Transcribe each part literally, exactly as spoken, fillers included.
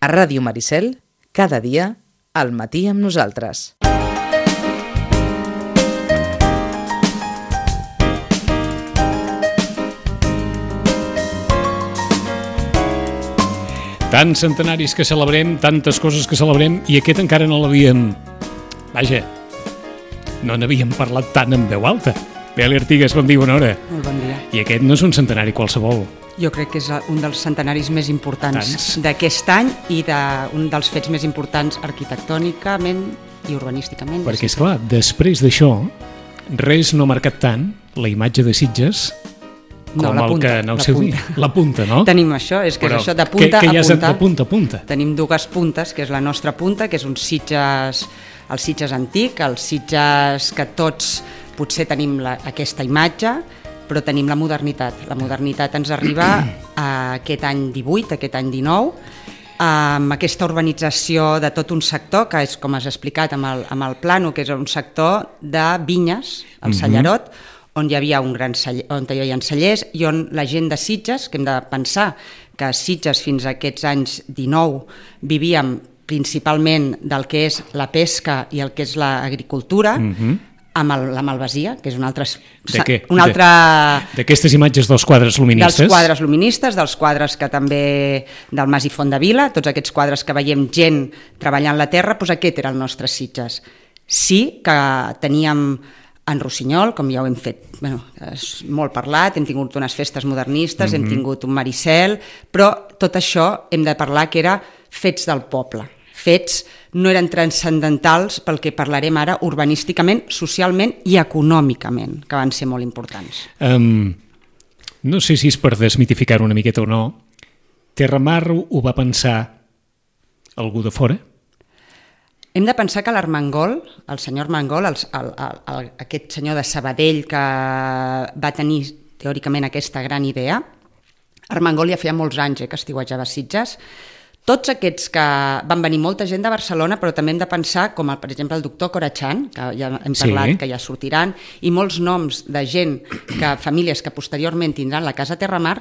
A Ràdio Maricel, cada dia, al matí amb nosaltres. Tants centenaris que celebrem, tantes coses que celebrem, i aquest encara no l'havíem... Vaja, no n'havíem parlat tant en veu alta. Beli Artigas, bon dia, bona hora. Molt bon dia. I aquest no és un centenari qualsevol. Jo crec que és un dels centenaris més importants Tants. d'aquest any i d'un dels fets més importants arquitectònicament i urbanísticament. Perquè, esclar, després d'això, res no ha marcat tant la imatge de Sitges com No, la el punta, que aneu la seu dir. punta. La punta, no? Tenim això, és que Però és això de punta que, que ja a és punta. de punta a punta. Tenim dues puntes, que és la nostra punta, que és un Sitges, el Sitges antic, el Sitges que tots potser tenim la, aquesta imatge, però tenim la modernitat. La modernitat ens arriba a aquest any divuit, aquest any dinou, amb aquesta urbanització de tot un sector, que és, com has explicat amb el, amb el plano, que és un sector de vinyes, el Sallarot, on hi havia un gran celler, on hi havia cellers i on la gent de Sitges, que hem de pensar que a Sitges fins a aquests anys dinou vivíem principalment del que és la pesca i el que és l'agricultura, Mhm. amb el, la malvasia, que és un altre... De què? Un altre... D'aquestes imatges dels quadres luministes? Dels quadres luministes, dels quadres que també... del Mas i Fondavila, tots aquests quadres que veiem gent treballant la terra, doncs aquest era el nostre Sitges. Sí que teníem en Rossinyol, com ja ho hem fet, bueno, és molt parlat, hem tingut unes festes modernistes, mm-hmm. hem tingut un Maricel, però tot això hem de parlar que era fets del poble. Fets no eren transcendentals pel que parlarem ara urbanísticament, socialment i econòmicament, que van ser molt importants. Um, no sé si és per desmitificar-ho una miqueta o no. Terramar ho va pensar algú de fora? Hem de pensar que l'Armengol, el senyor Armengol, el, el, el, el, aquest senyor de Sabadell que va tenir teòricament aquesta gran idea, Armengol ja feia molts anys eh, que estiuejava a Sitges. Tots aquests que van venir molta gent de Barcelona, però també hem de pensar, com el, per exemple el doctor Corachan, que ja hem parlat, sí. que ja sortiran, i molts noms de gent, que famílies que posteriorment tindran la Casa Terramar,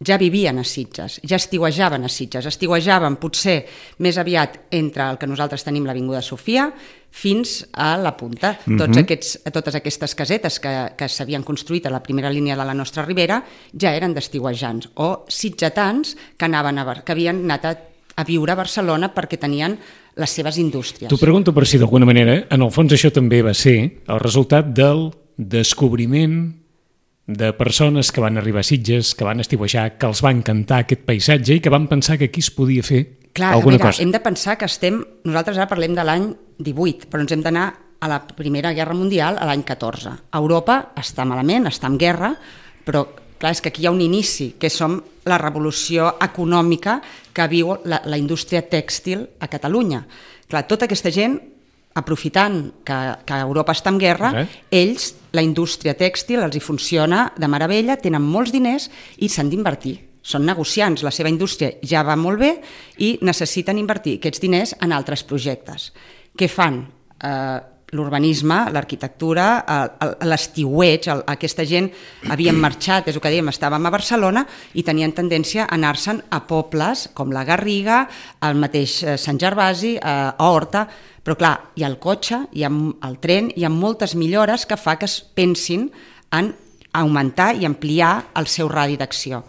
ja vivien a Sitges, ja estiuejaven a Sitges, estiuejaven potser més aviat entre el que nosaltres tenim l'Avinguda Sofia fins a la Punta. Mm-hmm. Tots aquests, totes aquestes casetes que, que s'havien construït a la primera línia de la nostra ribera ja eren d'estiuejants o sitgetans que, anaven a, que havien anat a, a viure a Barcelona perquè tenien les seves indústries. T'ho pregunto per si d'alguna manera, en el fons això també va ser el resultat del descobriment de persones que van arribar a Sitges, que van estiuejar, que els va encantar aquest paisatge i que van pensar que aquí es podia fer Clar, alguna mira, cosa. Hem de pensar que estem... Nosaltres ara parlem de l'any divuit, però ens hem d'anar a la Primera Guerra Mundial a l'any catorze. Europa està malament, està en guerra, però clar, és que aquí hi ha un inici, que som la revolució econòmica que viu la, la indústria tèxtil a Catalunya. Clar, tota aquesta gent, aprofitant que, que Europa està en guerra, eh? ells, la indústria tèxtil, els hi funciona de meravella, tenen molts diners i s'han d'invertir. Són negociants, la seva indústria ja va molt bé i necessiten invertir aquests diners en altres projectes. Què fan? Eh, l'urbanisme, l'arquitectura, l'estiueig, aquesta gent havien marxat, és el que dèiem, estàvem a Barcelona i tenien tendència a anar-se'n a pobles com la Garriga, el mateix Sant Gervasi, a Horta, però clar, hi ha el cotxe, hi ha el tren, hi ha moltes millores que fa que es pensin en augmentar i ampliar el seu radi d'acció.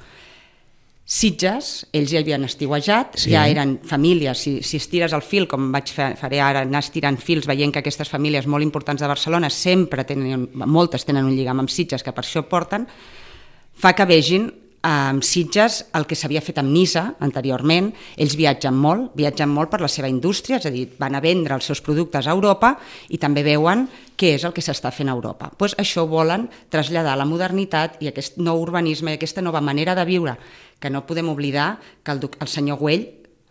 Sitges, ells ja havien estiuejat, sí. ja eren famílies, si, si estires el fil, com vaig fer, faré ara, anar estirant fils, veient que aquestes famílies molt importants de Barcelona sempre tenen, moltes tenen un lligam amb Sitges, que per això porten, fa que vegin amb Sitges el que s'havia fet amb Nisa anteriorment. Ells viatgen molt, viatgen molt per la seva indústria, és a dir, van a vendre els seus productes a Europa i també veuen què és el que s'està fent a Europa. Pues això volen traslladar la modernitat i aquest nou urbanisme i aquesta nova manera de viure, que no podem oblidar que el, el senyor Güell,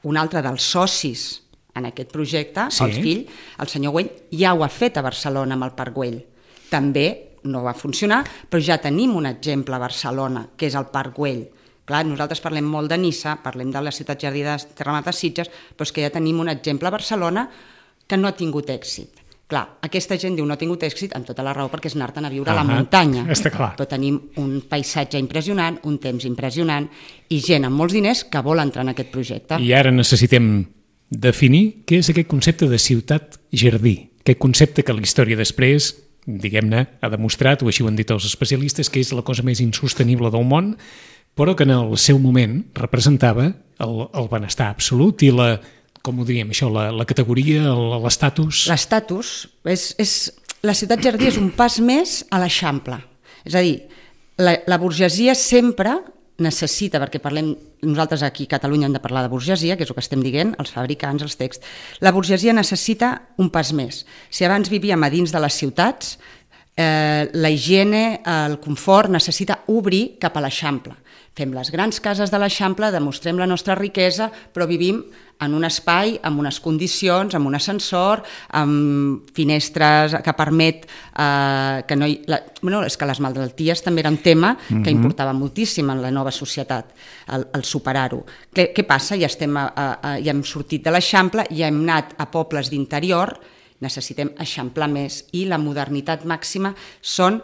un altre dels socis en aquest projecte, sí. el fill, el senyor Güell ja ho ha fet a Barcelona amb el Parc Güell. També no va funcionar, però ja tenim un exemple a Barcelona, que és el Parc Güell. Clar, nosaltres parlem molt de Nissa, parlem de la ciutat jardí de Terramar de Sitges, però és que ja tenim un exemple a Barcelona que no ha tingut èxit, Clar, aquesta gent diu no ha tingut èxit amb tota la raó perquè és anar-te'n a viure a la Ah, muntanya. està clar. Però tenim un paisatge impressionant, un temps impressionant i gent amb molts diners que vol entrar en aquest projecte. I ara necessitem definir què és aquest concepte de ciutat-jardí, aquest concepte que la història després, diguem-ne, ha demostrat, o així ho han dit els especialistes, que és la cosa més insostenible del món, però que en el seu moment representava el, el benestar absolut i la, com ho diríem això, la, la categoria, el- l'estatus... L'estatus, és, és, la ciutat jardí és un pas més a l'Eixample. És a dir, la, la burgesia sempre necessita, perquè parlem, nosaltres aquí a Catalunya hem de parlar de burgesia, que és el que estem dient, els fabricants, els texts, la burgesia necessita un pas més. Si abans vivíem a dins de les ciutats, eh, la higiene, el confort necessita obrir cap a l'Eixample. Fem les grans cases de l'Eixample, demostrem la nostra riquesa, però vivim en un espai, amb unes condicions, amb un ascensor, amb finestres que permet eh, que no hi... La, bueno, és que les malalties també era un tema que mm-hmm. importava moltíssim en la nova societat, el, el superar-ho. Què, què passa? Ja, estem a, a, a, ja hem sortit de l'Eixample, ja hem anat a pobles d'interior, necessitem eixamplar més, i la modernitat màxima són...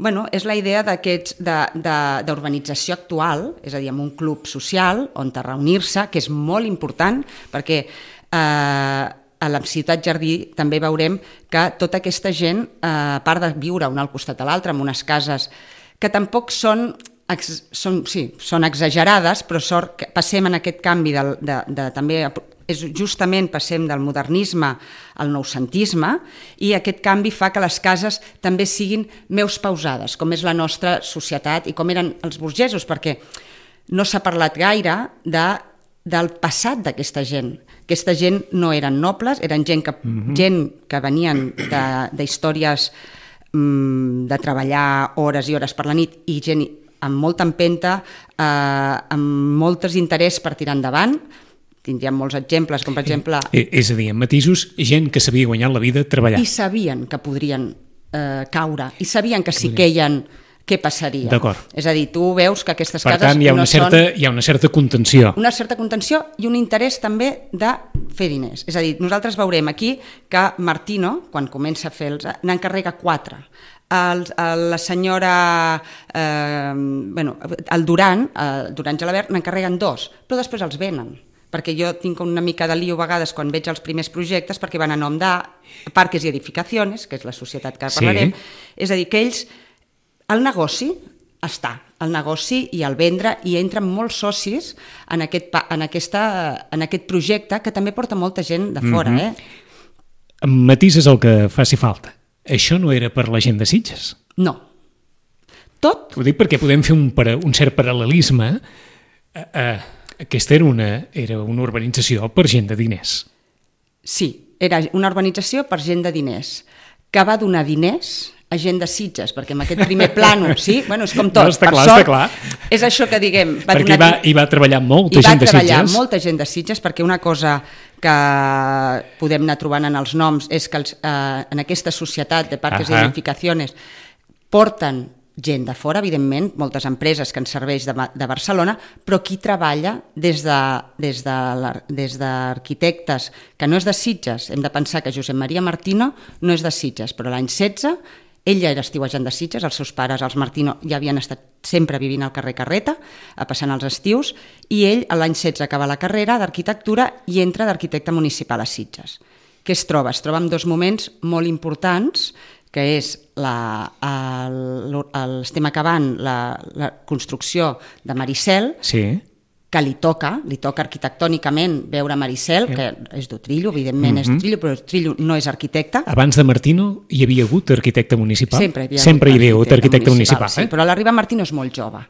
Bueno, és la idea d'aquests d'urbanització actual, és a dir, amb un club social on te reunir-se, que és molt important, perquè eh, a la ciutat jardí també veurem que tota aquesta gent, eh, a part de viure un al costat de l'altre, en unes cases que tampoc són, ex, són, sí, són exagerades, però sort que passem en aquest canvi de, de, de, també és justament passem del modernisme al noucentisme, i aquest canvi fa que les cases també siguin més pausades, com és la nostra societat i com eren els burgesos, perquè no s'ha parlat gaire de, del passat d'aquesta gent. Aquesta gent no eren nobles, eren gent que, mm-hmm. gent que venien d'històries mm, de treballar hores i hores per la nit, i gent amb molta empenta, eh, amb moltes interès per tirar endavant. Tindríem molts exemples, com per exemple... Eh, és a dir, en matisos, gent que sabia guanyar la vida treballant. I sabien que podrien eh, caure, i sabien que si queien, què passaria. D'acord. És a dir, tu veus que aquestes per cases tant, hi ha una no certa, són... hi ha una certa contenció. Una certa contenció i un interès també de fer diners. És a dir, nosaltres veurem aquí que Martino, quan comença a fer els... n'encarrega quatre. El, el, la senyora... Eh, bueno, el Duran, eh, Duran Gelabert, n'encarreguen dos, però després els venen. Perquè jo tinc una mica de lío a vegades quan veig els primers projectes, perquè van a nom de Parques i Edificaciones, que és la societat que parlarem, sí. És a dir, que ells, el negoci està, el negoci i el vendre, i entren molts socis en aquest, en aquesta, en aquest projecte, que també porta molta gent de fora. Mm-hmm. eh? Matises el que faci falta. Això no era per la gent de Sitges? No. Tot... Ho dic perquè podem fer un, un cert paral·lelisme. Eh, eh, Aquesta era una, era una urbanització per gent de diners. Sí, era una urbanització per gent de diners, que va donar diners a gent de Sitges, perquè en aquest primer plànol, sí, bueno, és com tot, no, està per clar, sort, està clar. És això que diguem... Va perquè donar... hi, va, hi va treballar molta hi gent de Sitges. va treballar molta gent de Sitges, perquè una cosa que podem anar trobant en els noms és que els, eh, en aquesta societat de Parques i Edificaciones porten gent de fora, evidentment, moltes empreses que ens serveix de, de Barcelona, però qui treballa des de, des de, des d'arquitectes, que no és de Sitges. Hem de pensar que Josep Maria Martino no és de Sitges, però l'any setze ell ja era estiuejant de Sitges, els seus pares, els Martino, ja havien estat sempre vivint al carrer Carreta, passant els estius, i ell l'any setze acaba la carrera d'arquitectura i entra d'arquitecte municipal a Sitges. Què es troba? Es troba amb dos moments molt importants, que és, la, el, el, estem acabant la, la construcció de Maricel, sí. que li toca, li toca arquitectònicament veure Maricel, que és d'Utrillo, evidentment mm-hmm. és d'Utrillo, però Utrillo no és arquitecte. Abans de Martino hi havia hagut arquitecte municipal? Sempre hi havia, Sempre hi havia hagut arquitecte, arquitecte municipal. municipal sí, eh? Però l'Arriba Martino és molt jove.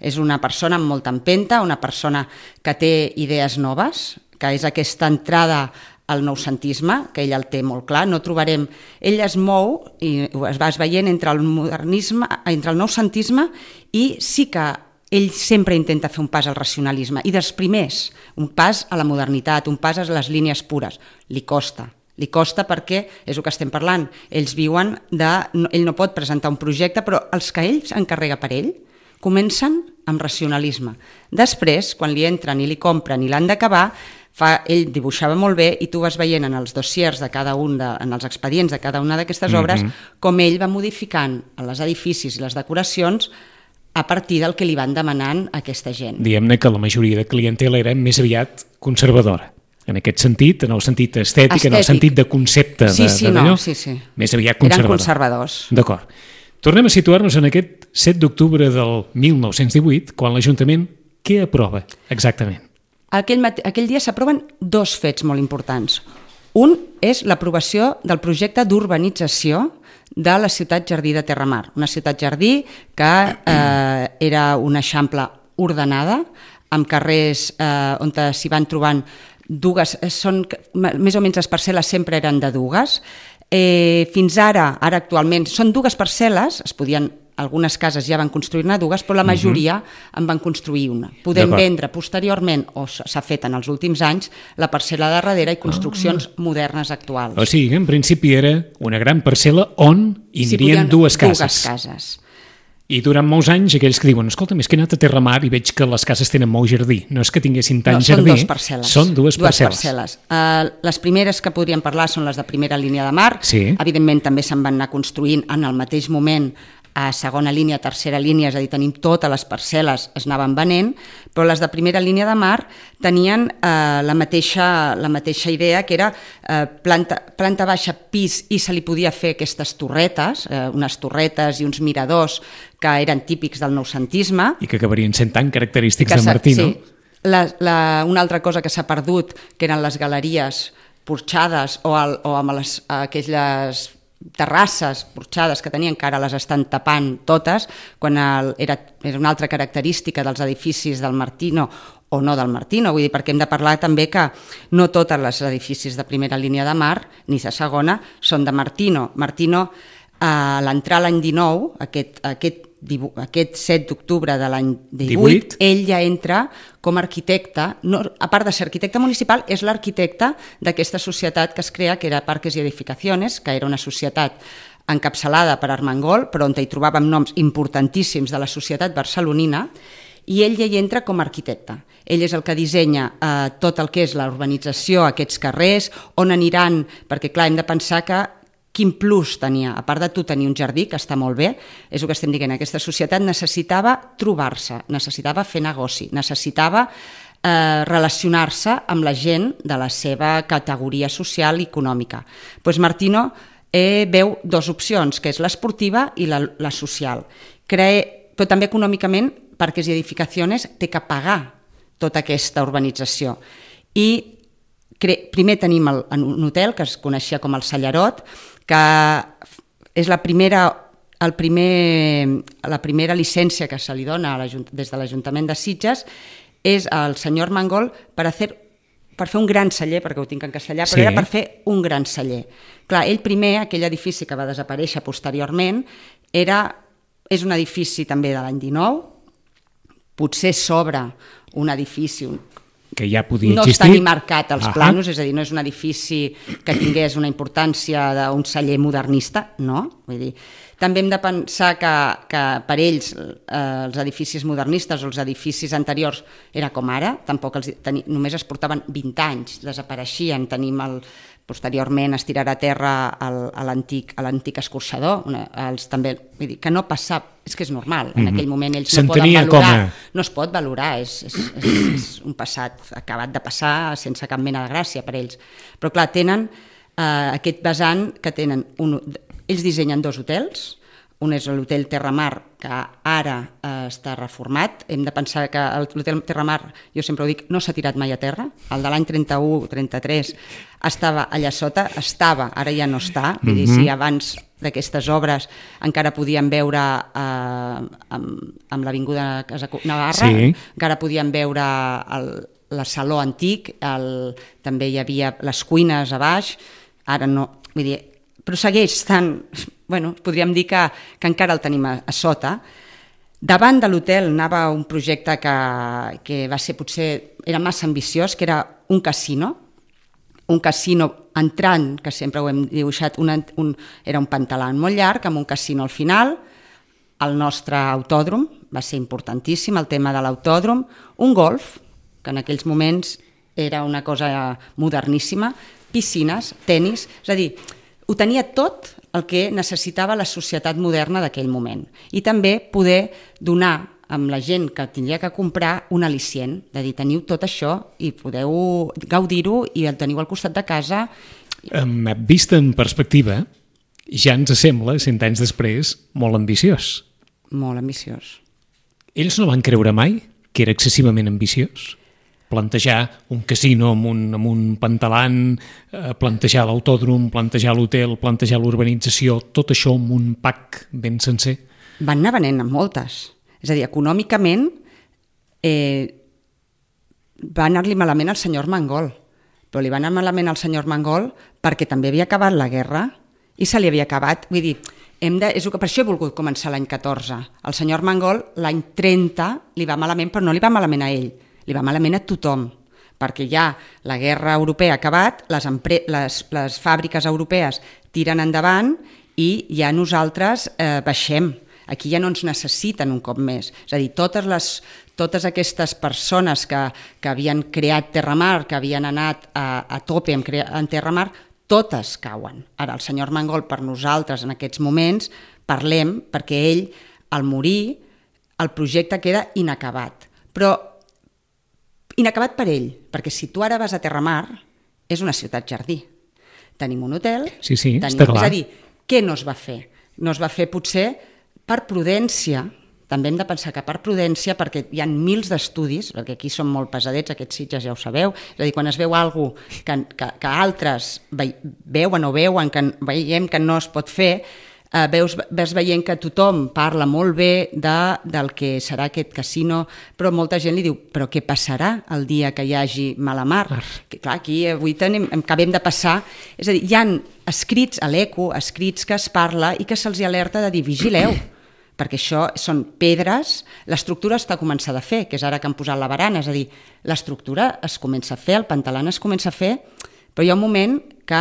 És una persona amb molta empenta, una persona que té idees noves, que és aquesta entrada el noucentisme, que ell el té molt clar, no trobarem... Ell es mou i es va veient entre el modernisme, entre el noucentisme, i sí que ell sempre intenta fer un pas al racionalisme, i dels primers, un pas a la modernitat, un pas a les línies pures. Li costa, li costa perquè és el que estem parlant. Ells viuen de... Ell no pot presentar un projecte, però els que ell s'encarrega per ell comencen amb racionalisme. Després, quan li entren i li compren i l'han d'acabar, Fa, ell dibuixava molt bé i tu vas veient en els dossiers de cada un, de, en els expedients de cada una d'aquestes obres, mm-hmm. com ell va modificant els edificis i les decoracions a partir del que li van demanant aquesta gent. Diguem-ne que la majoria de clientela era més aviat conservadora. En aquest sentit, en el sentit estètic, estètic. en el sentit de concepte sí, de, sí, de no, d'allò, sí, sí. més aviat conservador. Eren conservadors. D'acord. Tornem a situar-nos en aquest set d'octubre del mil nou-cents divuit, quan l'Ajuntament què aprova exactament? Aquell, mate... Aquell dia s'aproven dos fets molt importants. Un és l'aprovació del projecte d'urbanització de la ciutat Jardí de Terramar, una ciutat jardí que eh, era una eixample ordenada, amb carrers eh, on s'hi van trobant dues, són, més o menys les parcel·les sempre eren de dues. Eh, fins ara, ara actualment, són dues parcel·les, es podien, algunes cases ja van construir-ne dues, però la majoria uh-huh. en van construir una. Podem vendre posteriorment, o s'ha fet en els últims anys, la parcel·la de darrere i construccions oh. modernes actuals. O sigui, en principi era una gran parcel·la on hi anirien sí, dues cases. Dues cases. I durant molts anys aquells que diuen, escolta, és que he anat a Terramar i veig que les cases tenen molt jardí. No és que tinguessin tant no, jardí. Són dues parcel·les. Són dues, dues parcel·les. parcel·les. Uh, les primeres que podríem parlar són les de primera línia de mar. Sí. Evidentment també se'n van anar construint en el mateix moment a segona línia, tercera línia, és a dir, tenim totes les parcel·les, es anaven venent, però les de primera línia de mar tenien eh, la, mateixa, la mateixa idea, que era eh, planta, planta baixa, pis, i se li podia fer aquestes torretes, eh, unes torretes i uns miradors que eren típics del noucentisme. I que acabarien sent tan característics que de Martí, no? Sí. La, la, una altra cosa que s'ha perdut, que eren les galeries porxades o, el, o amb les, aquelles terrasses porxades que tenien, que ara les estan tapant totes, quan el, era, era una altra característica dels edificis del Martino o no del Martino, vull dir, perquè hem de parlar també que no tots els edificis de primera línia de mar, ni de segona, són de Martino. Martino, a l'entrar l'any dinou, aquest, aquest, aquest set d'octubre de l'any divuit, divuit, ell ja entra com a arquitecte, no, a part de ser arquitecte municipal, és l'arquitecte d'aquesta societat que es crea, que era Parques y Edificaciones, que era una societat encapçalada per Armengol, però on hi trobàvem noms importantíssims de la societat barcelonina, i ell ja hi entra com a arquitecte. Ell és el que dissenya eh, tot el que és la urbanització, aquests carrers, on aniran, perquè clar, hem de pensar que quin plus tenia, a part de tu tenir un jardí, que està molt bé, és el que estem dient, aquesta societat necessitava trobar-se, necessitava fer negoci, necessitava eh, relacionar-se amb la gent de la seva categoria social i econòmica. Doncs Martino eh, veu dues opcions, que és l'esportiva i la, la social. Crea, però també econòmicament, Parques y Edificaciones té que pagar tota aquesta urbanització. I cre... primer tenim el, un hotel que es coneixia com el Sallarot, que és la primera, el primer, la primera llicència que se li dona a des de l'Ajuntament de Sitges, és el senyor Armengol per, hacer, per fer un gran celler, perquè ho tinc en castellà, però sí. Era per fer un gran celler. Clar, ell primer, aquell edifici que va desaparèixer posteriorment, era, és un edifici també de l'any dinou, potser sobre un edifici, un que ja podia no existir. Està ni marcat als Aha. planos, és a dir, no és un edifici que tingués una importància d'un celler modernista, no. Vull dir, també hem de pensar que, que per ells eh, els edificis modernistes o els edificis anteriors era com ara, tampoc els, teni, només es portaven vint anys, desapareixien, tenim el, posteriorment es tirarà a terra el, a l'antic escorxador, una, els, també, vull dir, que no passava, és que és normal, en mm-hmm. aquell moment ells no poden valorar, a... no es pot valorar, és, és, és, és un passat acabat de passar sense cap mena de gràcia per ells. Però clar, tenen eh, aquest vessant que tenen, un, ells dissenyen dos hotels, un és l'hotel Terramar, que ara eh, està reformat. Hem de pensar que l'hotel Terramar, jo sempre ho dic, no s'ha tirat mai a terra. El de l'any trenta-u trenta-tres estava allà sota, estava, ara ja no està. Vull dir, si abans d'aquestes obres encara podíem veure eh, amb, amb l'Avinguda Navarra, sí. Encara podíem veure el, la saló antic, el, també hi havia les cuines a baix, ara no, vull dir, però segueix estant, bueno, podríem dir que, que encara el tenim a, a sota. Davant de l'hotel anava un projecte que, que va ser potser, era massa ambiciós, que era un casino, un casino entrant, que sempre ho hem dibuixat, un, un, era un pantalan molt llarg, amb un casino al final, el nostre autòdrom, va ser importantíssim el tema de l'autòdrom, un golf, que en aquells moments era una cosa moderníssima, piscines, tenis, és a dir, ho tenia tot el que necessitava la societat moderna d'aquell moment. I també poder donar amb la gent que tindria que comprar un al·licient, de dir, teniu tot això i podeu gaudir-ho i el teniu al costat de casa. Um, vist en perspectiva, ja ens sembla, cent anys després, molt ambiciós. Molt ambiciós. Ells no van creure mai que era excessivament ambiciós? Plantejar un casino amb un, amb un pantalan, eh, plantejar l'autòdrom, plantejar l'hotel, plantejar l'urbanització, tot això amb un pack ben sencer? Van anar venent amb moltes. És a dir, econòmicament eh, va anar-li malament al senyor Mangol, però li va anar malament al senyor Mangol perquè també havia acabat la guerra i se li havia acabat. Vull dir, hem de, és que per això he volgut començar l'any catorze. El senyor Mangol l'any trenta li va malament, però no li va malament a ell, li va malament a tothom, perquè ja la guerra europea ha acabat, les, empre les, les fàbriques europees tiren endavant i ja nosaltres eh, baixem. Aquí ja no ens necessiten un cop més. És a dir, totes, les, totes aquestes persones que, que havien creat Terramar, que havien anat a, a tope en, en Terramar, totes cauen. Ara, el senyor Mangol, per nosaltres en aquests moments, parlem perquè ell, al morir, el projecte queda inacabat. Però inacabat per ell, perquè si tu ara vas a Terramar, és una ciutat jardí. Tenim un hotel, sí, sí, tenim, està clar. És a dir, què no es va fer? No es va fer potser per prudència, també hem de pensar que per prudència, perquè hi ha mils d'estudis, perquè aquí són molt pesadets, aquests Sitges ja ho sabeu, és a dir, quan es veu alguna cosa que, que, que altres veuen o veuen, que veiem que no es pot fer, eh, veus, ves veient que tothom parla molt bé de, del que serà aquest casino, però molta gent li diu, però què passarà el dia que hi hagi mala mar? Que, clar, aquí avui tenim, acabem de passar, és a dir, hi ha escrits a l'Eco, escrits que es parla i que se'ls alerta de dir, vigileu, perquè això són pedres, l'estructura està començada a fer, que és ara que han posat la barana, és a dir, l'estructura es comença a fer, el pantalan es comença a fer, però hi ha un moment que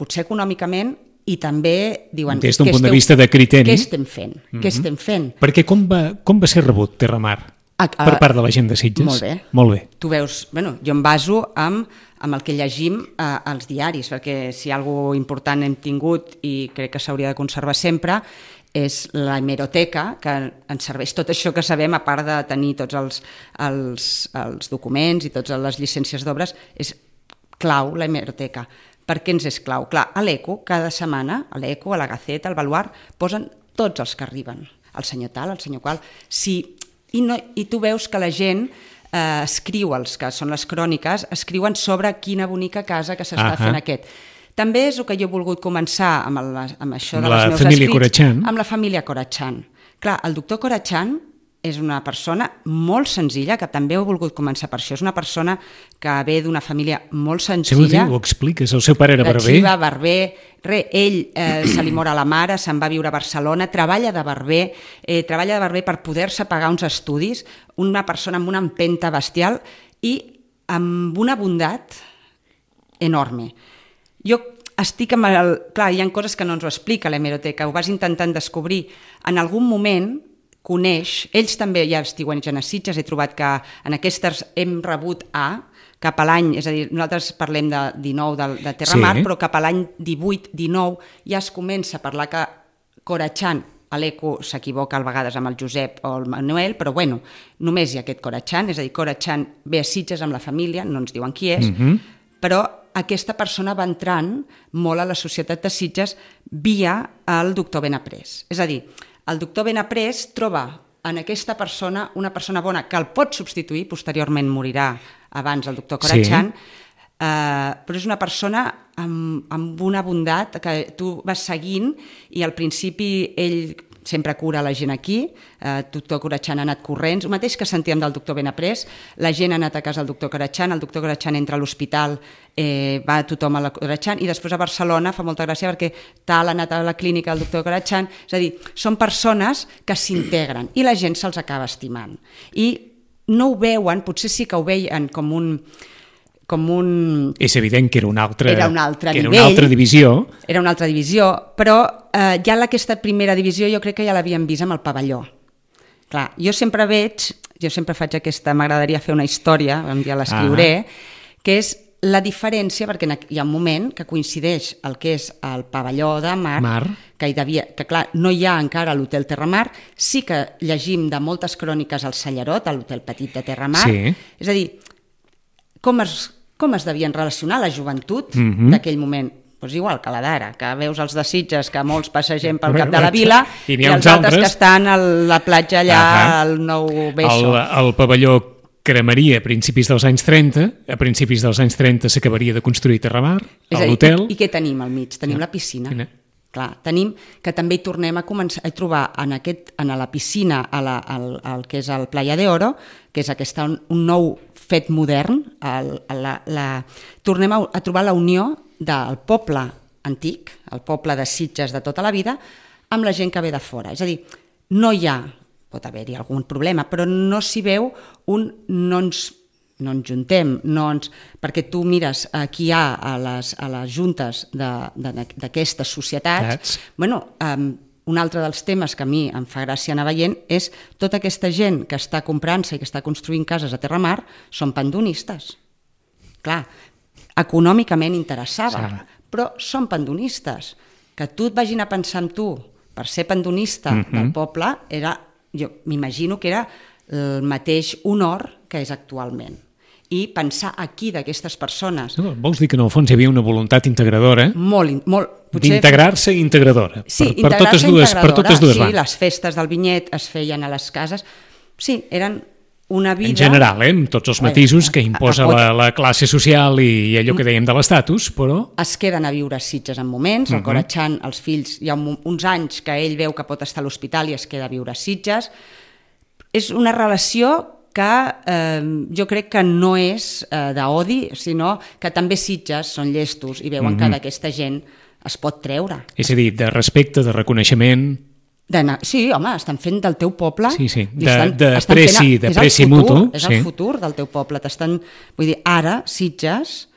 potser econòmicament i també diuen... Des d'un punt de vista de criteri... Què estem fent? Mm-hmm. Què estem fent? Perquè com va, com va ser rebut Terramar a, a, per part de la gent de Sitges? Molt bé. Molt bé. Tu veus, bueno, jo em baso amb, amb el que llegim eh, als diaris, perquè si alguna cosa important hem tingut i crec que s'hauria de conservar sempre, és la hemeroteca, que ens serveix tot això que sabem, a part de tenir tots els, els, els documents i totes les llicències d'obres, és clau la hemeroteca. Per què ens és clau? Clar, a l'Eco, cada setmana, a l'Eco, a la Gaceta, al Baluard, posen tots els que arriben. El senyor tal, el senyor qual... Si, i, no, I tu veus que la gent eh, escriu, els que són les cròniques, escriuen sobre quina bonica casa que s'està uh-huh. fent aquest. També és el que jo he volgut començar amb, el, amb això de la les meus família escrits, Corachán. Amb la família Corachán. Clar, el doctor Corachán és una persona molt senzilla, que també ho he volgut començar per això. És una persona que ve d'una família molt senzilla. Sí, ho expliques, el seu pare era barber. Xiva, barber, re, ell eh, se li mor a la mare, se'n va viure a Barcelona, treballa de barber, eh, treballa de barber per poder-se pagar uns estudis, una persona amb una empenta bestial i amb una bondat enorme. Jo estic amb el... Clar, hi ha coses que no ens ho explica l'hemeroteca, ho vas intentant descobrir. En algun moment coneix, ells també ja estiuegen a Sitges, he trobat que en aquestes hem rebut A, cap a l'any, és a dir, nosaltres parlem de dinou de, de Terramar, sí. Però cap a l'any divuit dinou ja es comença a parlar que Corachán, a l'Eco s'equivoca a vegades amb el Josep o el Manuel, però bueno, només hi ha aquest Corachán, és a dir, Corachán ve a Sitges amb la família, no ens diuen qui és, mm-hmm. però aquesta persona va entrant molt a la societat de Sitges via el doctor Benaprés. És a dir, el doctor Benaprés troba en aquesta persona una persona bona que el pot substituir, posteriorment morirà abans el doctor Corachán, sí. eh, però és una persona amb, amb una bondat que tu vas seguint i al principi ell sempre cura la gent aquí, el eh, doctor Corachán ha anat corrents, el mateix que sentíem del doctor Benaprés, la gent ha anat a casa del doctor Corachán, el doctor Corachán entra a l'hospital, eh, va tothom a la Corachán, i després a Barcelona fa molta gràcia perquè tal ha anat a la clínica del doctor Corachán, és a dir, són persones que s'integren i la gent se'ls acaba estimant. I no ho veuen, potser sí que ho veien com un... com un... És evident que era una altra, era un altre que nivell, era una altra divisió. Era una altra divisió, però eh, ja aquesta primera divisió jo crec que ja l'havíem vist amb el pavelló. Clar, jo sempre veig, jo sempre faig aquesta, m'agradaria fer una història, un dia l'escriuré, ah. que és la diferència, perquè hi ha un moment que coincideix el que és el pavelló de mar, Mar. que hi devia, que clar, no hi ha encara l'hotel Terramar, sí que llegim de moltes cròniques al Sallarot, a l'hotel petit de Terramar, Sí. és a dir, com es, com es devien relacionar la joventut Mhm. d'aquell moment? Pues igual que la d'ara, que veus els de Sitges, que molts passegem pel cap de la vila, I i, n'hi ha els uns altres altres. que estan a la platja allà, Ahà. al Nou El, Beso. el pavelló cremaria a principis dels anys trenta, a principis dels anys trenta s'acabaria de construir Terramar, És a dir, l'hotel. I, I què tenim al mig? Tenim la piscina. Quina? Clar, tenim que també hi tornem a començar a trobar en, aquest, en la piscina, a la, al, al que és el Playa de Oro, que és aquesta, un, un nou fet modern, el, la, la, tornem a, a trobar la unió del poble antic, el poble de Sitges de tota la vida, amb la gent que ve de fora. És a dir, no hi ha, pot haver-hi algun problema, però no s'hi veu un no ens, no ens juntem, no ens, perquè tu mires qui hi ha a les, a les juntes d'aquestes societats. Tats. Bueno, um, un altre dels temes que a mi em fa gràcia anar veient és tota aquesta gent que està comprant-se i que està construint cases a Terramar són pandonistes. Clar, econòmicament interessava, Sara. però són pandonistes. Que tu et vagin a pensar en tu per ser pandonista Mhm. del poble, era, jo m'imagino que era el mateix honor que és actualment. I pensar aquí d'aquestes persones, No, vols dir que en el fons hi havia una voluntat integradora molt, in- molt potser- d'integrar-se i integradora Sí, per, per, totes integrar-se dues, per totes dues sí, bandes. les festes del vinyet es feien a les cases. Sí, eren una vida... En general, eh, amb tots els matisos que imposa la, la classe social i, i allò que dèiem de l'estatus, però... Es queden a viure a Sitges en moments, el Corachán, els fills, hi ha un, uns anys que ell veu que pot estar a l'hospital i es queda a viure a Sitges. És una relació que eh, jo crec que no és eh, d'odi, sinó que també Sitges són llestos i veuen que d'aquesta gent es pot treure. És a dir, de respecte, de reconeixement... D'anar- Sí, home, estan fent del teu poble... Sí, sí, i de- estan- de estan preci- fent- de és el preci futur, mutu, És sí. el futur del teu poble. T'estan, vull dir, ara, Sitges,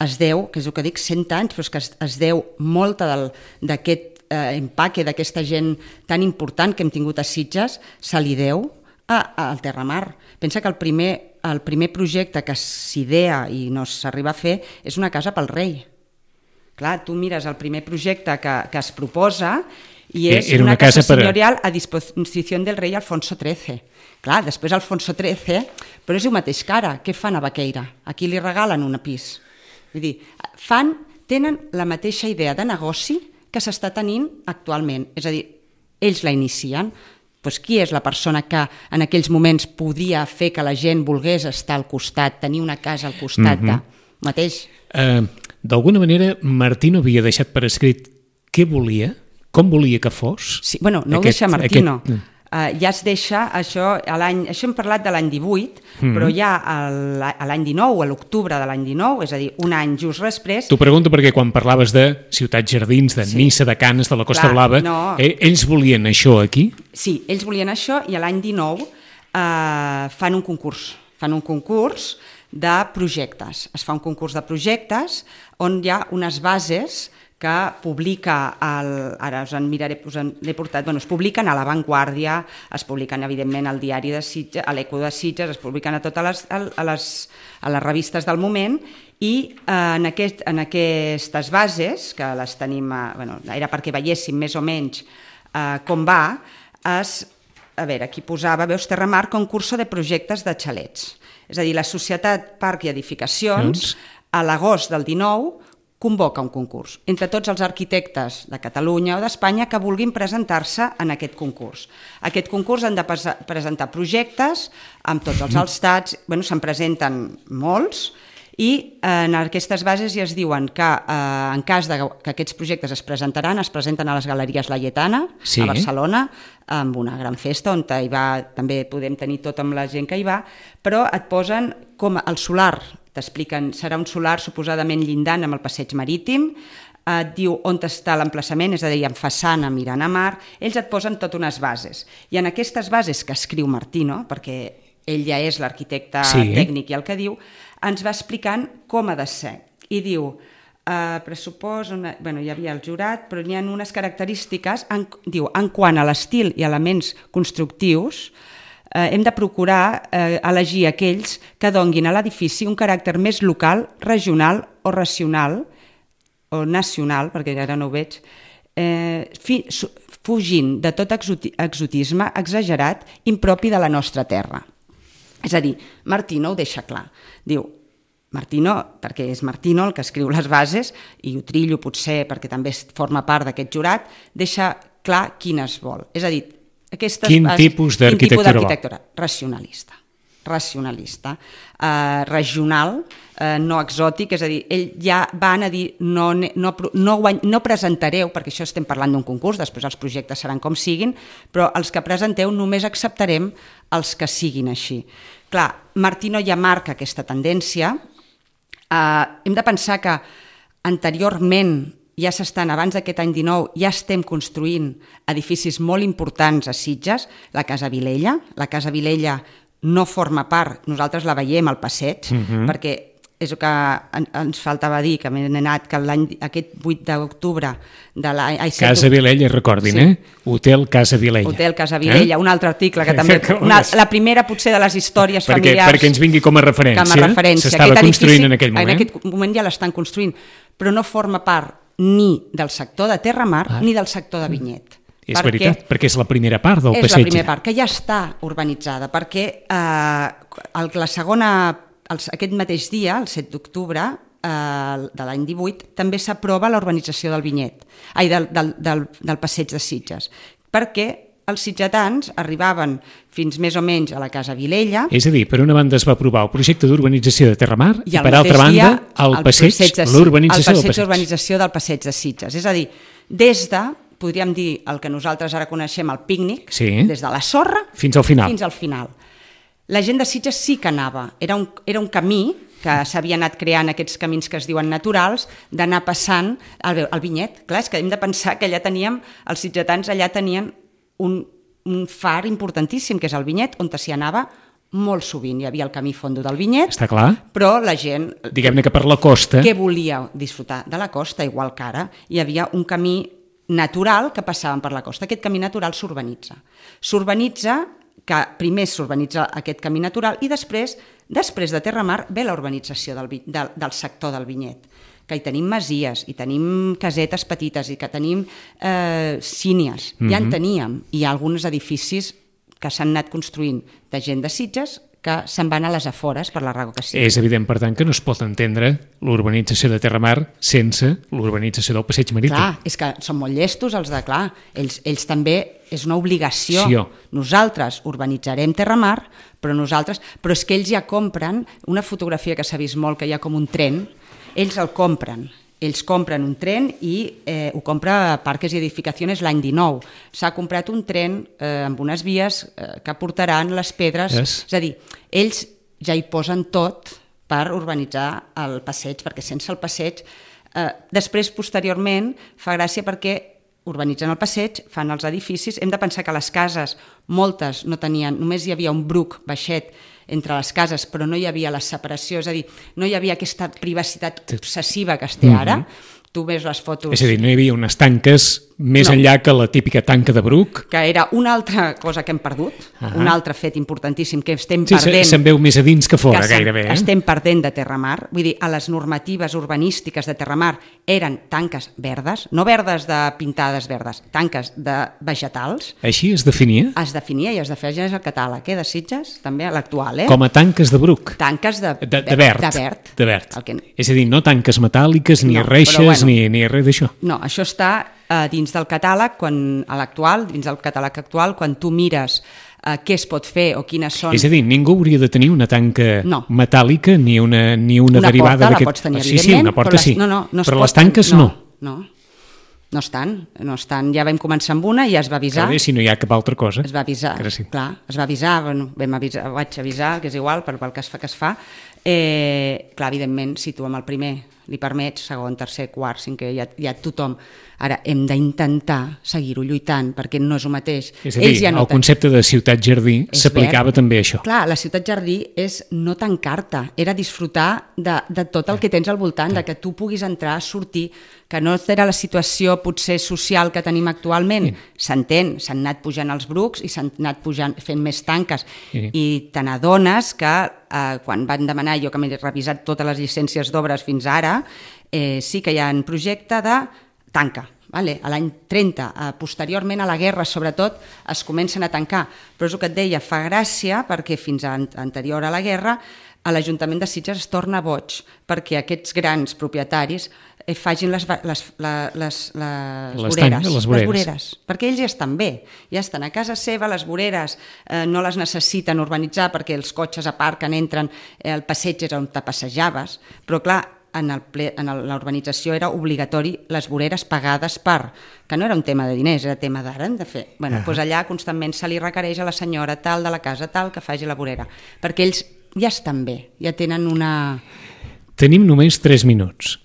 es deu, que és el que dic, cent anys, però és que es, es deu molta del- d'aquest eh, empaque, d'aquesta gent tan important que hem tingut a Sitges, se li deu a- al Terramar. Pensa que el primer, el primer projecte que s'idea i no s'arriba a fer és una casa pel rei. Clar, tu mires el primer projecte que, que es proposa i és Era una, una casa, casa per a- senyorial a disposició del rei Alfonso trece. Clar, després Alfonso trece, però és el mateix que ara. Què fan a Baqueira? Aquí li regalen un pis. Vull dir, fan, tenen la mateixa idea de negoci que s'està tenint actualment. És a dir, ells la inicien. Doncs qui és la persona que en aquells moments podia fer que la gent volgués estar al costat, tenir una casa al costat de... Mateix. Eh, D'alguna manera, Martí no havia deixat per escrit què volia, com volia que fos. Sí, bueno, no Aquest- ho deixa Martino. aquest- Uh, ja es deixa això, a l'any, això hem parlat de l'any divuit, mm -hmm. però ja a l'any a l'any dinou, a l'octubre de l'any dinou, és a dir, un any just després... T'ho pregunto perquè quan parlaves de ciutats jardins, de Sí. Nissa, de Canes, de la Costa Clar, Blava, no. eh, ells volien això aquí? Sí, ells volien això i a l'any dinou uh, fan un concurs, fan un concurs de projectes. Es fa un concurs de projectes on hi ha unes bases que publica, el, ara us en miraré, us en l'he portat, bueno, es publiquen a La Vanguardia, es publiquen evidentment al diari de Sitges, a l'Eco de Sitges, es publiquen a totes les, a les, a les revistes del moment i eh, en, aquest, en aquestes bases, que les tenim, a, bueno, era perquè veiéssim més o menys eh, com va, es, a veure, aquí posava, veus, Terramar, concurso de projectes de xalets. És a dir, la Societat Parc i Edificacions, Doncs. a l'agost del dinou, convoca un concurs entre tots els arquitectes de Catalunya o d'Espanya que vulguin presentar-se en aquest concurs. Aquest concurs han de presentar projectes amb tots els alstats, bueno, se'n presenten molts, i en aquestes bases ja es diuen que eh, en cas de que aquests projectes es presentaran, es presenten a les Galeries Laietana, Sí. a Barcelona, amb una gran festa on hi va, també podem tenir tot amb la gent que hi va, però et posen com el solar, t'expliquen, serà un solar suposadament llindant amb el passeig marítim, et diu on està l'emplaçament, és a dir, en façana mirant a mar, ells et posen tot unes bases. I en aquestes bases que escriu Martino, perquè ell ja és l'arquitecte Sí. tècnic i el que diu, ens va explicant com ha de ser. I diu, eh, pressupost, una, bueno, hi havia el jurat, però n'hi ha unes característiques, en, diu, en quant a l'estil i elements constructius, eh, hem de procurar eh, elegir aquells que donguin a l'edifici un caràcter més local, regional o racional, o nacional, perquè ara no ho veig, eh, fi, fugint de tot exotisme exagerat impropi de la nostra terra. És a dir, Martino ho deixa clar. Diu, Martino, perquè és Martino el que escriu les bases, i ho trillo potser perquè també forma part d'aquest jurat, deixa clar quines vol. És a dir, aquestes quin bases, tipus d'arquitectura vol? Racionalista. racionalista, eh, regional, eh, no exòtic, és a dir, ell ja van a dir no, no, no, guany, no presentareu, perquè això estem parlant d'un concurs, després els projectes seran com siguin, però els que presenteu només acceptarem els que siguin així. Clar, Martino ja marca aquesta tendència, eh, hem de pensar que anteriorment ja s'estan, abans d'aquest any dinou, ja estem construint edificis molt importants a Sitges, la Casa Vilella, la Casa Vilella no forma part, nosaltres la veiem al passeig, uh-huh. perquè és el que ens faltava dir, que m'he anat, que l'any, aquest vuit d'octubre de l'any... Casa Vilella, recordin, sí. eh? Hotel Casa Vilella. Hotel Casa Vilella, eh? Un altre article que també... Una, la primera, potser, de les històries perquè, familiars... Perquè ens vingui com a referència. Com a referència. S'estava construint en aquell moment. En aquest moment ja l'estan construint, però no forma part ni del sector de Terramar ah. ni del sector de Vinyet. És perquè, veritat, perquè és la primera part del és passeig. És la primera part, que ja està urbanitzada, perquè eh, la segona, el, aquest mateix dia, el set d'octubre eh, de l'any divuit, també s'aprova la urbanització del Vinyet, ai, del, del, del, del passeig de Sitges, perquè els sitgetans arribaven fins més o menys a la Casa Vilella. És a dir, per una banda es va aprovar el projecte d'urbanització de Terramar i, i per altra banda el, el passeig, passeig de, l'urbanització del passeig. d'urbanització del passeig de Sitges. És a dir, des de, podríem dir, el que nosaltres ara coneixem, el pícnic, sí. des de la sorra fins al final. Fins al final. La gent de Sitges sí que anava. Era un, era un camí que s'havia anat creant, aquests camins que es diuen naturals, d'anar passant al, al Vinyet. Clar, és que hem de pensar que allà teníem, els sitgetans allà tenien un, un far importantíssim, que és el Vinyet, on s'hi anava molt sovint. Hi havia el camí fondo del Vinyet, està clar. Però la gent... Diguem-ne que per la costa... Que volia disfrutar de la costa, igual que ara, hi havia un camí natural que passaven per la costa. Aquest camí natural s'urbanitza. S'urbanitza, que primer s'urbanitza aquest camí natural i després, després de Terramar, ve la urbanització del, del, del sector del Vinyet, que hi tenim masies, hi tenim casetes petites i que tenim eh, sínies. Mm-hmm. Ja en teníem. Hi ha alguns edificis que s'han anat construint de gent de Sitges que se'n van a les afores per la raó que sigui. És evident, per tant, que no es pot entendre l'urbanització de Terramar sense l'urbanització del passeig marítim. Clar, és que són molt llestos els de, clar, ells, ells també és una obligació. Sí, oh. Nosaltres urbanitzarem Terramar, però nosaltres... Però és que ells ja compren una fotografia que s'ha vist molt, que hi ha com un tren, ells el compren. Ells compren un tren i eh, ho compra Parques i Edificacions l'any dinou. S'ha comprat un tren eh, amb unes vies eh, que portaran les pedres. Yes. És a dir, ells ja hi posen tot per urbanitzar el passeig, perquè sense el passeig... Eh, després, posteriorment, fa gràcia perquè urbanitzen el passeig, fan els edificis. Hem de pensar que les cases, moltes no tenien, només hi havia un bruc baixet entre les cases, però no hi havia la separació, és a dir, no hi havia aquesta privacitat obsessiva que es té ara. Mm-hmm. Tu ves les fotos... És a dir, no hi havia unes tanques més no. enllà que la típica tanca de bruc. Que era una altra cosa que hem perdut, uh-huh. un altre fet importantíssim que estem sí, perdent... Se'n veu més a dins que fora, que gairebé. Eh? Estem perdent de Terramar. Vull dir, a les normatives urbanístiques de Terramar eren tanques verdes, no verdes de pintades verdes, tanques de vegetals. Així es definia? Es definia i es definia el catàleg, eh, de Sitges, també l'actual. Eh? Com a tanques de bruc? Tanques de, de, de verd. De verd. De verd. Que... És a dir, no tanques metàl·liques, ni no, reixes, bueno, ni, ni res d'això. No, això està eh, dins del catàleg, quan, a l'actual, dins del catàleg actual, quan tu mires eh, què es pot fer o quines són... És a dir, ningú hauria de tenir una tanca no. metàl·lica ni una, ni una, una derivada d'aquest... Una porta la pots tenir, sí, sí, una porta però sí, les, no, no, no però pot, les tanques no. No, no. No estan, no estan. Ja vam començar amb una i ja es va avisar. Clar, si no hi ha cap altra cosa. Es va avisar, sí. clar, es va avisar, bueno, vam avisar, vaig avisar, que és igual, per pel que es fa que es fa. Eh, clar, evidentment, si tu amb el primer li permets, segon, tercer, quart, cinquè, ja, ja tothom. Ara hem d'intentar seguir-ho lluitant, perquè no és el mateix. És a dir, ja no el concepte de ciutat-jardí s'aplicava també a això. Clar, la ciutat-jardí és no tancar-te, era disfrutar de, de tot el que tens al voltant, de que tu puguis entrar, sortir, que no era la situació potser social que tenim actualment. S'entén, s'han anat pujant els brucs i s'han anat pujant, fent més tanques. Sí. I te n'adones que eh, quan van demanar, jo que m'he revisat totes les llicències d'obres fins ara, eh, sí que hi ha un projecte de tanca. Vale? A l'any trenta, eh, posteriorment a la guerra sobretot, es comencen a tancar. Però és el que et deia, fa gràcia perquè fins a anterior a la guerra a l'Ajuntament de Sitges es torna boig perquè aquests grans propietaris eh, facin les, les, les, les, les, les, voreres, les, voreres. les voreres, perquè ells ja estan bé, ja estan a casa seva, les voreres eh, no les necessiten urbanitzar perquè els cotxes aparquen, entren, eh, el passeig és on te passejaves, però clar, en l'urbanització era obligatori les voreres pagades per, que no era un tema de diners, era tema d'ara, hem de fer. Bueno, uh -huh. doncs allà constantment se li requereix a la senyora tal de la casa tal que faci la vorera, perquè ells ja estan bé, ja tenen una... Tenim només tres minuts.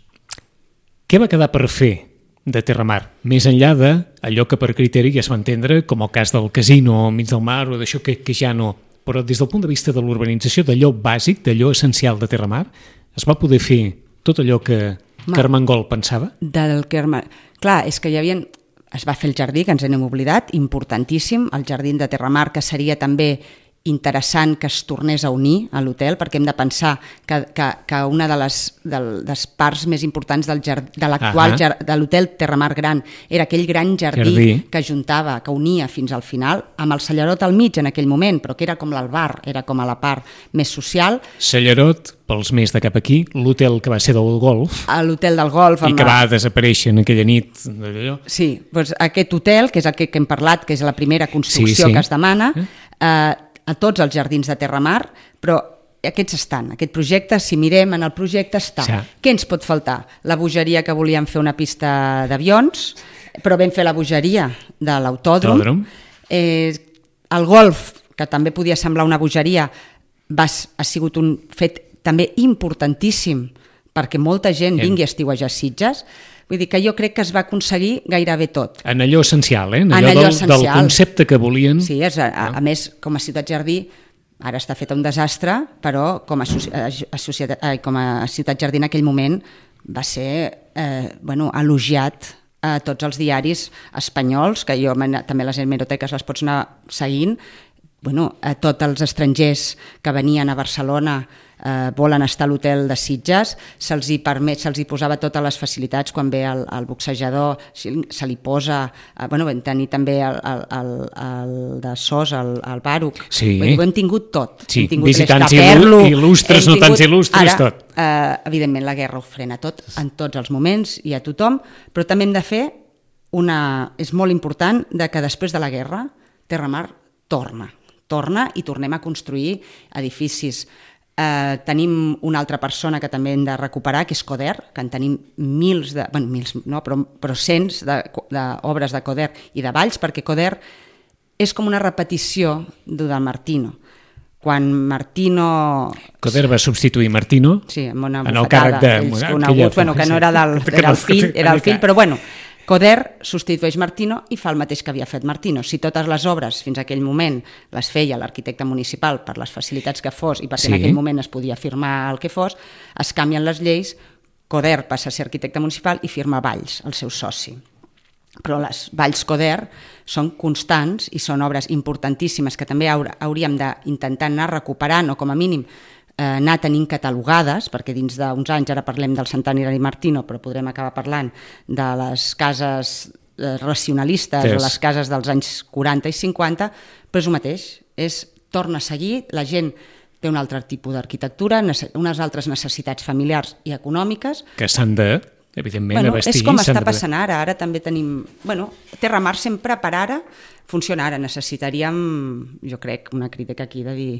Què va quedar per fer de Terramar, més enllà d'allò que per criteri ja es va entendre com el cas del casino al mig del mar o d'això que, que ja no, però des del punt de vista de l'urbanització, d'allò bàsic, d'allò essencial de Terramar, es va poder fer tot allò que Carmengol pensava? Del Carme... Clar, és que hi havia... Es va fer el jardí, que ens n'hem oblidat, importantíssim, el jardí de Terramar, que seria també interessant que es tornés a unir a l'hotel, perquè hem de pensar que, que, que una de les, de les parts més importants del jardí, de l'actual uh-huh. de l'hotel Terramar Gran era aquell gran jardí, jardí que juntava, que unia fins al final, amb el Cellerot al mig en aquell moment, però que era com l'Albar, era com a la part més social. Cellerot, pels més de cap aquí, l'hotel que va ser del golf. L'hotel del golf. I que va desaparèixer en aquella nit. D'allò. Sí, doncs aquest hotel, que és el que, que hem parlat, que és la primera construcció sí, sí. que es demana, eh, a tots els jardins de Terramar, però aquests estan, aquest projecte, si mirem en el projecte està. Sí. Què ens pot faltar? La bogeria que volíem fer una pista d'avions, però vam fer la bogeria de l'autòdrom. Eh, el golf, que també podia semblar una bogeria, va, ha sigut un fet també importantíssim perquè molta gent vingui a estiuejar Sitges. Vull dir que jo crec que es va aconseguir gairebé tot. En allò essencial, eh? En allò, en allò del, essencial. Del concepte que volien. Sí, és, a, a, a més, com a ciutat jardí, ara està fet un desastre, però com a, a, societat, com a ciutat jardí en aquell moment va ser eh, bueno, elogiat a tots els diaris espanyols, que jo també les hemeroteques les pots anar seguint, bueno, a tots els estrangers que venien a Barcelona eh, volen estar a l'hotel de Sitges, se'ls hi permet, se'ls hi posava totes les facilitats quan ve el, el boxejador, se li posa, eh, bueno, vam tenir també el, el, el, el de Sos, el, el Baruc, sí. Dir, ho hem tingut tot. Sí, hem tingut visitants il·lustres, no tants il·lustres, ara, tot. Eh, evidentment la guerra ho frena tot, en tots els moments i a tothom, però també hem de fer una... és molt important de que després de la guerra Terramar torna. torna i tornem a construir edificis. Eh, tenim una altra persona que també hem de recuperar, que és Coder, que en tenim mils, de, bueno, mils no, però, però cents d'obres de, de Coder i de Valls, perquè Coder és com una repetició del Martino. Quan Martino... Coder va substituir Martino sí, amb una en el càrrec de... Coneguts, bueno, que no era, del, era el fill, era el fill, però bueno... Coder substitueix Martino i fa el mateix que havia fet Martino. Si totes les obres fins a aquell moment les feia l'arquitecte municipal per les facilitats que fos i perquè sí. en aquell moment es podia firmar el que fos, es canvien les lleis, Coder passa a ser arquitecte municipal i firma Valls, el seu soci. Però les Valls Coder són constants i són obres importantíssimes que també hauríem d'intentar anar recuperant o com a mínim anar tenint catalogades, perquè dins d'uns anys, ara parlem del Sant'Anna di Martino, però podrem acabar parlant de les cases racionalistes yes. o les cases dels anys quaranta i cinquanta, però és el mateix, és, torna a seguir, la gent té un altre tipus d'arquitectura, unes altres necessitats familiars i econòmiques. Que s'han de, evidentment, bueno, abastir. És com està passant ara, ara també tenim... Bueno, Terramar sempre per ara funciona ara, necessitaríem, jo crec, una crítica aquí de dir...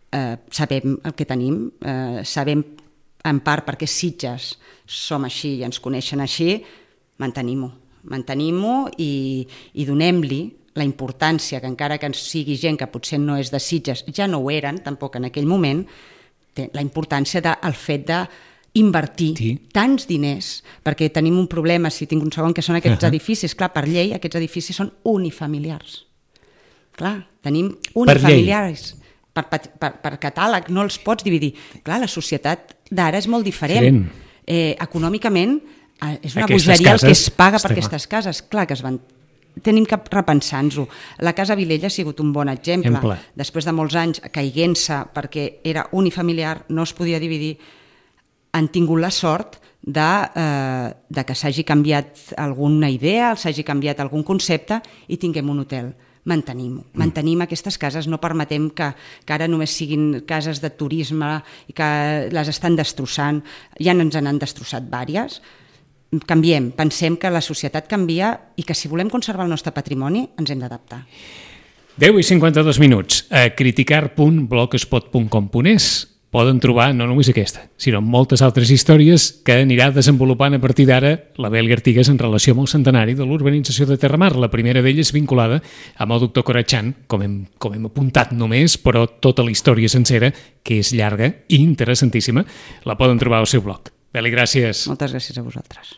Eh, sabem el que tenim, eh, sabem en part perquè Sitges som així i ens coneixen així, mantenim-ho, mantenim-ho i, i donem-li la importància que encara que ens sigui gent que potser no és de Sitges, ja no ho eren tampoc en aquell moment, la importància del fet de invertir Sí. tants diners, perquè tenim un problema, si tinc un segon, que són aquests Uh-huh. edificis. Clar, per llei, aquests edificis són unifamiliars. Clar, tenim unifamiliars. Per, per, per, per catàleg no els pots dividir. Clar, la societat d'ara és molt diferent. Diferent. Eh, econòmicament, eh, és una Aquestes bogeria el que cases, es paga per està aquestes cases. Clar que es van... Tenim que repensar-nos-ho. La Casa Vilella ha sigut un bon exemple. Exemple. Després de molts anys caiguent-se perquè era unifamiliar, no es podia dividir, han tingut la sort de, eh, de que s'hagi canviat alguna idea, s'hagi canviat algun concepte i tinguem un hotel. Mantenim-ho. Mm. Mantenim aquestes cases, no permetem que, que ara només siguin cases de turisme i que les estan destrossant. Ja ens n'han destrossat vàries. Canviem, pensem que la societat canvia i que si volem conservar el nostre patrimoni ens hem d'adaptar. deu i cinquanta-dos minuts. A criticar punt blogspot punt com punt es poden trobar no només aquesta, sinó moltes altres històries que anirà desenvolupant a partir d'ara la Beli Artigas en relació amb el centenari de l'urbanització de Terramar. La primera d'elles vinculada amb el doctor Corachán, com hem, com hem apuntat només, però tota la història sencera, que és llarga i interessantíssima, la poden trobar al seu blog. Beli, gràcies. Moltes gràcies a vosaltres.